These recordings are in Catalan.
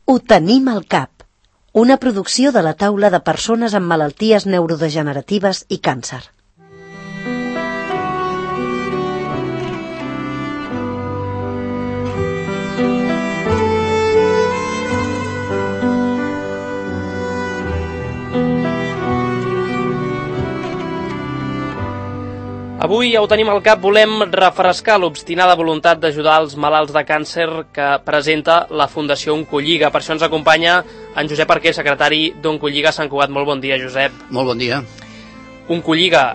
Ho tenim al cap. Una producció de la taula de persones amb malalties neurodegeneratives i càncer. Avui ja ho tenim al cap, volem refrescar l'obstinada voluntat d'ajudar els malalts de càncer que presenta la Fundació Oncolliga. Per això ens acompanya en Josep Arquer, secretari d'Oncolliga a Sant Cugat. Molt bon dia, Josep. Molt bon dia. Oncolliga,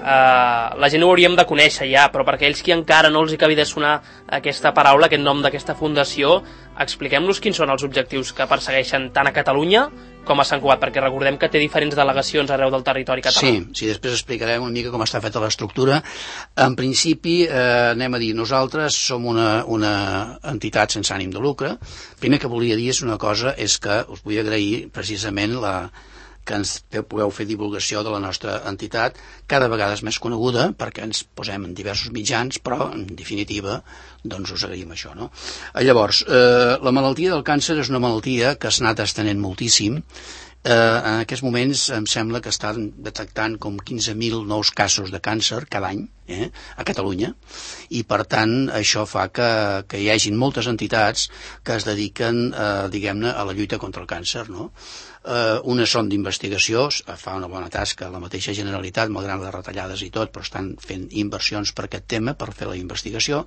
la gent ho hauríem de conèixer ja, però per aquells que encara no els acabi de sonar aquesta paraula, aquest nom d'aquesta fundació, expliquem-nos quins són els objectius que persegueixen tant a Catalunya com a Sant Cugat, perquè recordem que té diferents delegacions arreu del territori català. Sí, després explicarem una mica com està feta l'estructura. En principi, anem a dir, nosaltres som una entitat sense ànim de lucre. Primer que volia dir és una cosa, és que us vull agrair precisament que ens pugueu fer divulgació de la nostra entitat. Cada vegada és més coneguda perquè ens posem en diversos mitjans, però en definitiva doncs us agraïm això, no? Llavors, la malaltia del càncer és una malaltia que s'ha anat estenent moltíssim. En aquests moments em sembla que estan detectant com 15.000 nous casos de càncer cada any a Catalunya, i per tant això fa que hi hagin moltes entitats que es dediquen diguem-ne a la lluita contra el càncer, no? Unes són d'investigació, fa una bona tasca la mateixa Generalitat, malgrat les retallades i tot, però estan fent inversions per aquest tema, per fer la investigació,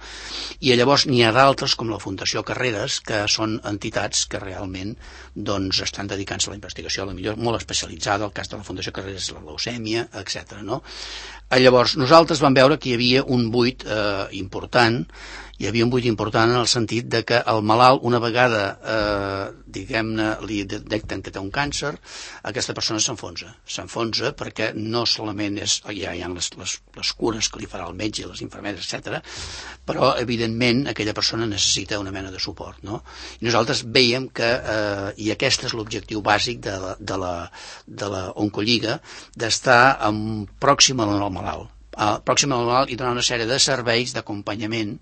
i llavors n'hi ha d'altres com la Fundació Carreras, que són entitats que realment doncs estan dedicant-se a la investigació, a la millor molt especialitzada. El cas de la Fundació Carreras és la leucèmia, etc. No? Llavors nosaltres vam veure que hi havia un buit important. Hi havia un buit important en el sentit de que el malalt, una vegada diguem-ne li detecten que té un càncer, aquesta persona s'enfonsa perquè no solament hi ha les cures que li farà el metge, les infermeres, etc., però evidentment aquella persona necessita una mena de suport, no? I nosaltres veiem que i aquest és l'objectiu bàsic de la Oncolliga, d'estar pròxim al malalt, i donar una sèrie de serveis d'acompanyament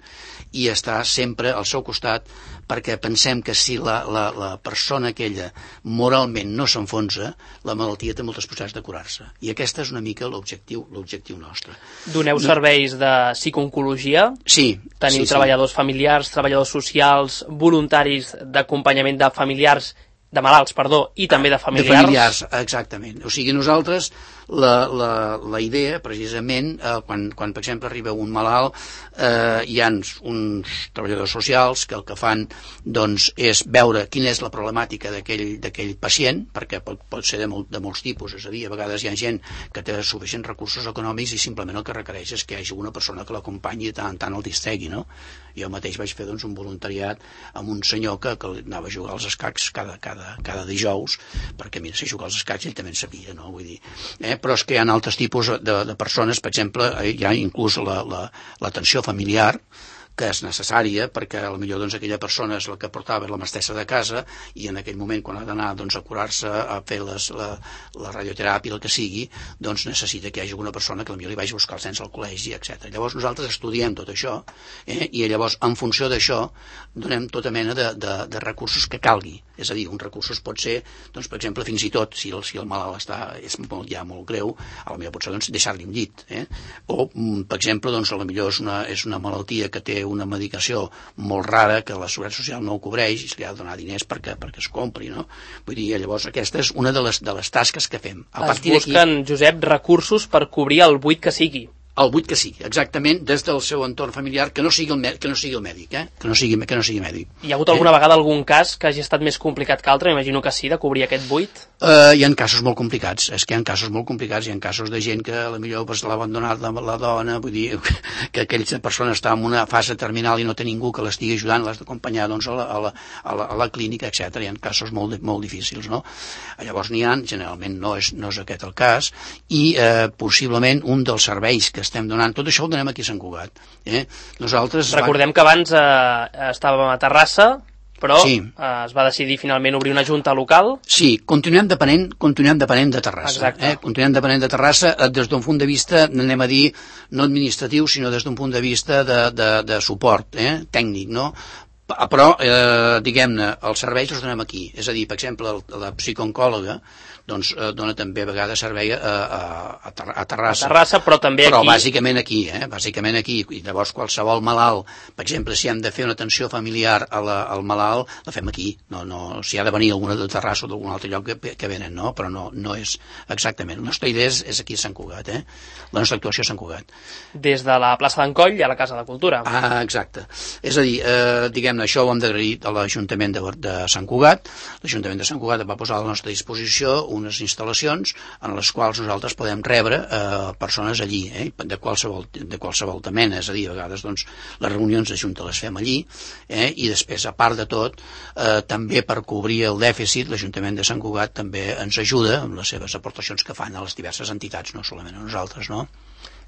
i estar sempre al seu costat, perquè pensem que si la persona aquella moralment no s'enfonsa, la malaltia té moltes possibilitats de curar-se, i aquest és una mica l'objectiu nostre. Doneu serveis de psicooncologia? Sí. Teniu treballadors familiars, treballadors socials, voluntaris d'acompanyament de familiars, de malalts, perdó, i també de familiars? De familiars, exactament. O sigui, nosaltres la idea, precisament, quan per exemple arriba un malalt, hi ha uns treballadors socials que el que fan doncs, és veure quina és la problemàtica d'aquell pacient, perquè pot ser de molts tipus, és a dir, a vegades hi ha gent que té suficients recursos econòmics i simplement el que requereix és que hi hagi una persona que l'acompanyi i tant el distregui, no? Jo mateix vaig fer un voluntariat amb un senyor que anava a jugar als escacs cada dijous, perquè mira, si jugar als escacs ell també en sabia, no? Vull dir, però és que hi ha altres tipus de persones, per exemple, hi ha inclús l'atenció familiar, que és necessària, perquè potser aquella persona és la que portava la mestressa de casa i en aquell moment, quan ha d'anar a curar-se, a fer la radioteràpia, el que sigui, doncs necessita que hi hagi una persona que potser li vagi a buscar els nens al col·legi, etc. Llavors nosaltres estudiem tot això, i llavors en funció d'això donem tota mena de recursos que calgui. És a dir, uns recursos pot ser, doncs, per exemple, fins i tot, si el malalt és ja molt greu, potser potser deixar-li un llit. O, per exemple, potser és una malaltia que té una medicació molt rara que la Seguretat Social no ho cobreix i se li ha de donar diners perquè es compri, no? Vull dir, llavors aquesta és una de les tasques que fem. Es busquen, Josep, recursos per cobrir el buit que sigui. El buit que sigui, exactament, des del seu entorn familiar, que no sigui el mèdic, que no sigui mèdic. Hi ha hagut alguna vegada algun cas que hagi estat més complicat que altre, m'imagino que sí, de cobrir aquest buit? Hi ha casos molt complicats, hi ha casos de gent que potser l'ha abandonat la dona, vull dir, que aquella persona està en una fase terminal i no té ningú que l'estigui ajudant, l'has d'acompanyar a la clínica, etc. Hi ha casos molt difícils, no? Llavors generalment no és aquest el cas, i possiblement un dels serveis que estem donant, tot això ho donem aquí a Sant Cugat. Recordem que abans estàvem a Terrassa, però es va decidir finalment obrir una junta local. Sí, continuem depenent de Terrassa. Continuem depenent de Terrassa des d'un punt de vista, anem a dir, no administratiu, sinó des d'un punt de vista de suport tècnic, no? Però, diguem-ne, els serveis els donem aquí. És a dir, per exemple, la psicooncòloga doncs dona també a vegades servei a Terrassa. A Terrassa, però també aquí. Però bàsicament aquí, bàsicament aquí. I llavors qualsevol malalt, per exemple, si hem de fer una atenció familiar al malalt, la fem aquí. No, si ha de venir alguna de Terrassa o d'algun altre lloc que venen, no? Però no és exactament. La nostra idea és aquí a Sant Cugat, La nostra actuació a Sant Cugat. Des de la plaça d'en Coll a la Casa de Cultura. Exacte. És a dir, diguem-ne, això ho hem d'agrair a l'Ajuntament de Sant Cugat. L'Ajuntament de Sant Cugat va posar a la nostra disposició unes instal·lacions en les quals nosaltres podem rebre persones allí, de qualsevol mena. És a dir, a vegades doncs, les reunions de Junta les fem allí, i després, a part de tot, també per cobrir el dèficit, l'Ajuntament de Sant Cugat també ens ajuda amb les seves aportacions que fan a les diverses entitats, no solament a nosaltres, no?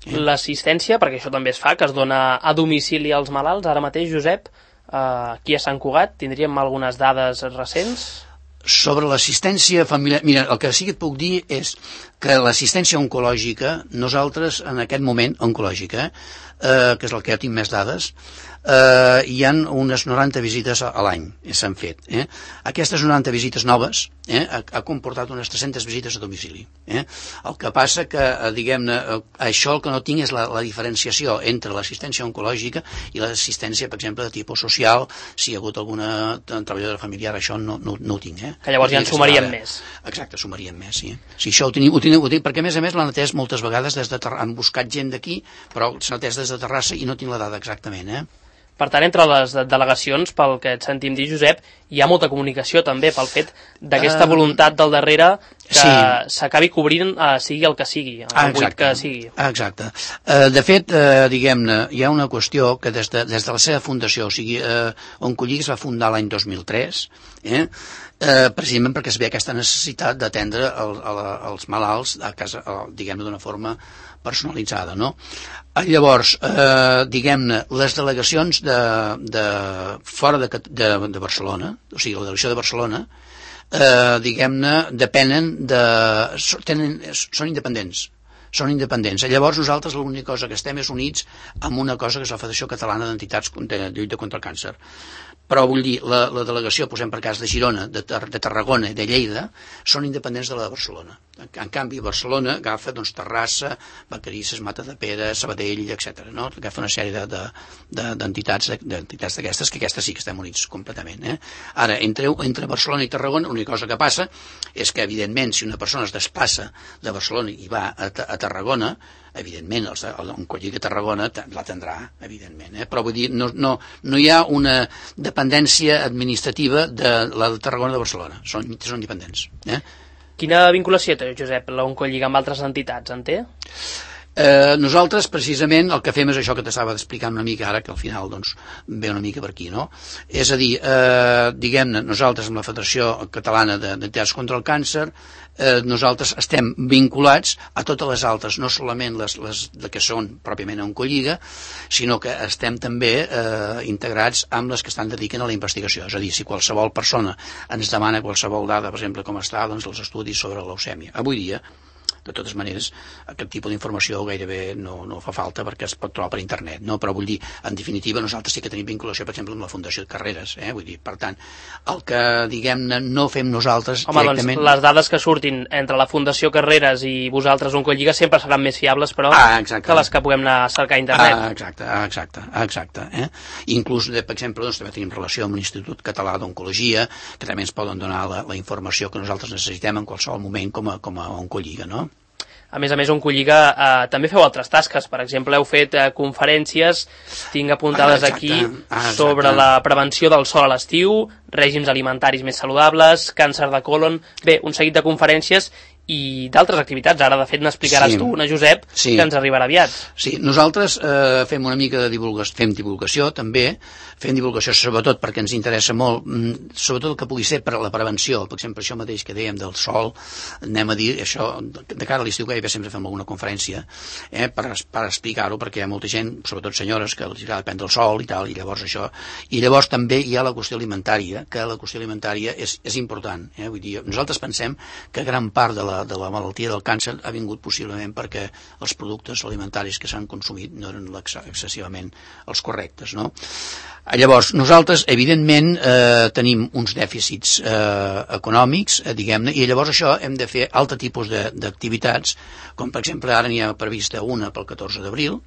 L'assistència, perquè això també es fa, que es dona a domicili als malalts, ara mateix, Josep, aquí a Sant Cugat, tindríem algunes dades recents? Sobre l'assistència familiar, mira, el que sí que et puc dir és que l'assistència oncològica, nosaltres en aquest moment, oncològica, que és el que ja tinc més dades, hi han unes 90 visites a l'any, s'han fet. Aquestes 90 visites noves ha comportat unes 300 visites a domicili. El que passa que, diguem-ne, això el que no tinc és la diferenciació entre l'assistència oncològica i l'assistència, per exemple, de tipus social, si hi ha hagut alguna treballadora familiar, això no ho tinc. Que llavors ja en sumarien més. Exacte, sumarien més, sí. Si això ho tinc, perquè a més l'han atès moltes vegades des de Terrassa, han buscat gent d'aquí, però s'han atès des de Terrassa i no tinc la dada exactament, Per tant, entre les delegacions, pel que et sentim dir, Josep, hi ha molta comunicació també pel fet d'aquesta voluntat del darrere que s'acabi cobrint, sigui el que sigui, el buit que sigui. Exacte. De fet, diguem-ne, hi ha una qüestió que des de la seva fundació, o sigui, Oncolliga es va fundar l'any 2003, precisament perquè es ve aquesta necessitat d'atendre els malalts a casa, diguem-ne, d'una forma personalitzada, no? Llavors, diguem-ne, les delegacions de fora de Barcelona, o sigui, la delegació de Barcelona, diguem-ne, són independents. Són independents. Llavors nosaltres l'única cosa que estem és units amb una cosa que és la Federació Catalana d'Entitats de Lluita contra el Càncer. Però vull dir, la delegació, posem per cas de Girona, de Tarragona i de Lleida, són independents de la de Barcelona. En canvi, Barcelona agafa doncs, Terrassa, Vacarisses, Matadepera, Sabadell, etc. No? Agafa una sèrie d'entitats d'aquestes, que aquestes sí que estem units completament. Ara, entre Barcelona i Tarragona, l'única cosa que passa és que, evidentment, si una persona es desplaça de Barcelona i va a Tarragona, evidentment, l'Oncolliga a Tarragona l'atendrà, evidentment. Però vull dir, no hi ha una dependència administrativa de la de Tarragona de Barcelona. Són independents. Quina vinculació té, Josep, l'Oncolliga amb altres entitats, en té? Nosaltres precisament el que fem és això que t'estava explicant una mica ara, que al final doncs ve una mica per aquí, no? És a dir, diguem-ne, nosaltres amb la Federació Catalana d'Entitats contra el Càncer, nosaltres estem vinculats a totes les altres, no solament les que són pròpiament a Oncolliga, sinó que estem també integrats amb les que estan dediquen a la investigació. És a dir, si qualsevol persona ens demana qualsevol dada, per exemple, com està doncs, els estudis sobre la leucèmia. Avui dia, de totes maneres, aquest tipus d'informació gairebé no fa falta perquè es pot trobar per internet, no? Però vull dir, en definitiva, nosaltres sí que tenim vinculació, per exemple, amb la Fundació de Carreres, vull dir, per tant, el que, diguem-ne, no fem nosaltres directament... Doncs les dades que surtin entre la Fundació Carreres i vosaltres, Oncolliga, sempre seran més fiables, però, que les que puguem anar a cercar a internet. Exacte. Inclús, per exemple, doncs, també tenim relació amb l'Institut Català d'Oncologia, que també ens poden donar la informació que nosaltres necessitem en qualsevol moment com a Oncolliga, no? A més, Oncolliga també feu altres tasques. Per exemple, heu fet conferències, tinc apuntades aquí, sobre la prevenció del sol a l'estiu, règims alimentaris més saludables, càncer de colon... Bé, un seguit de conferències i d'altres activitats. Ara, de fet, n'explicaràs tu una, Josep, que ens arribarà aviat. Sí, nosaltres fem una mica de divulgació, també, fem divulgació sobretot perquè ens interessa molt, sobretot el que pugui ser per a la prevenció, per exemple, això mateix que dèiem del sol, anem a dir, això, de cara a l'estiu gairebé sempre fem alguna conferència, per explicar-ho, perquè hi ha molta gent, sobretot senyores, que els agrada prendre el sol i tal, i llavors això, i llavors també hi ha la qüestió alimentària, que la qüestió alimentària és important, vull dir, nosaltres pensem que gran part de la malaltia del càncer ha vingut possiblement perquè els productes alimentaris que s'han consumit no eren excessivament els correctes, no? Llavors, nosaltres, evidentment, tenim uns dèficits econòmics, diguem-ne, i llavors això hem de fer altre tipus d'activitats, com per exemple ara n'hi ha prevista una pel 14 d'abril,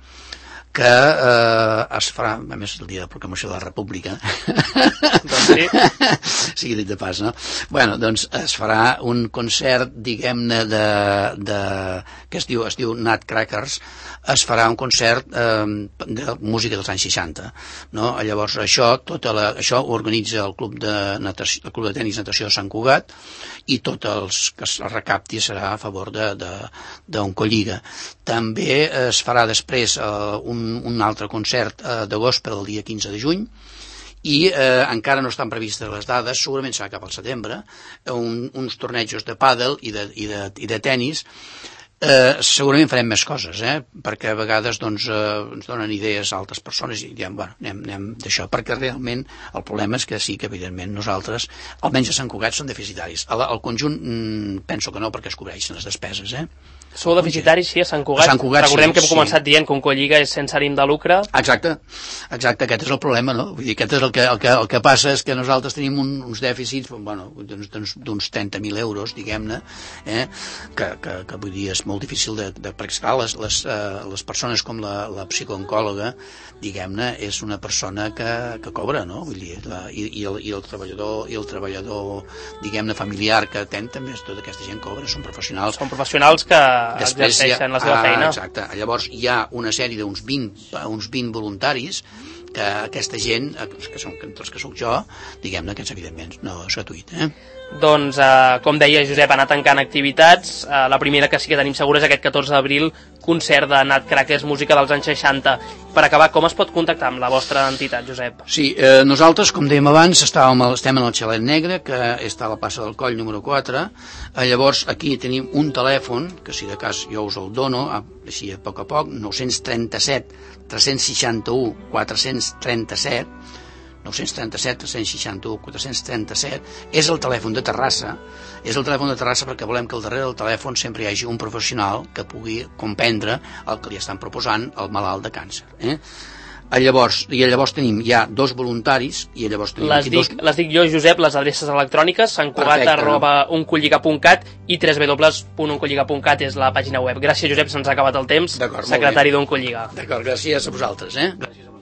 que es farà, a més el dia de proclamació de la República, doncs sí. sigui dit de pas, no? Bueno, doncs es farà un concert, diguem-ne, que es diu Nutcrackers, es farà un concert de música dels anys 60, no? Llavors això ho organitza el club de tenis natació de Sant Cugat, i tot els que es recapti serà a favor d'Oncolliga. També es farà després un altre concert d'agost per al dia 15 de juny, i encara no estan previstes les dades, segurament serà cap al setembre, uns tornejos de pàdel i de tenis. Segurament farem més coses, perquè a vegades ens donen idees a altres persones i diem, bueno, anem d'això, perquè realment el problema és que sí que evidentment nosaltres, almenys a Sant Cugat, som deficitaris. Al conjunt penso que no, perquè es cobreixen les despeses, Sou deficitaris, sí, a Sant Cugat. Recordem que hem començat dient que Oncolliga és sense ànim de lucre. Exacte, aquest és el problema, no? Vull dir, aquest és el que passa és que nosaltres tenim uns dèficits, bueno, d'uns 30.000 euros, diguem-ne, que vull dir, és molt difícil perquè esclar, les persones com la psicooncòloga, diguem-ne, és una persona que cobra, no? Vull dir, i el treballador, diguem-ne, familiar que atén també, tota aquesta gent cobra, són professionals. Són professionals que exerceixen la seva feina. Exacte. Llavors hi ha una sèrie d'uns 20 voluntaris que aquesta gent, entre els que soc jo, diguem-ne que evidentment no és gratuït. Doncs, com deia Josep, ha anat tancant activitats. La primera que sí que tenim segura és aquest 14 d'abril, concert de Nutcrackers, música dels anys 60. Per acabar, com es pot contactar amb la vostra entitat, Josep? Sí, nosaltres, com dèiem abans, estem en el Xalet Negre, que està a la plaça del Coll número 4. Llavors, aquí tenim un telèfon, que si de cas jo us el dono, així a poc, 937 361 437, 937 361 437, és el telèfon de Terrassa, perquè volem que al darrere del telèfon sempre hi hagi un professional que pugui comprendre el que li estan proposant al malalt de càncer. Llavors tenim ja 2 voluntaris i llavors tenim les dic jo, Josep, les adreces electròniques santcugat@oncolliga.cat i www.oncolliga.cat és la pàgina web. Gràcies, Josep, se'ns ha acabat el temps. Secretari d'Oncolliga. D'acord, gràcies a vosaltres. Gràcies a vosaltres.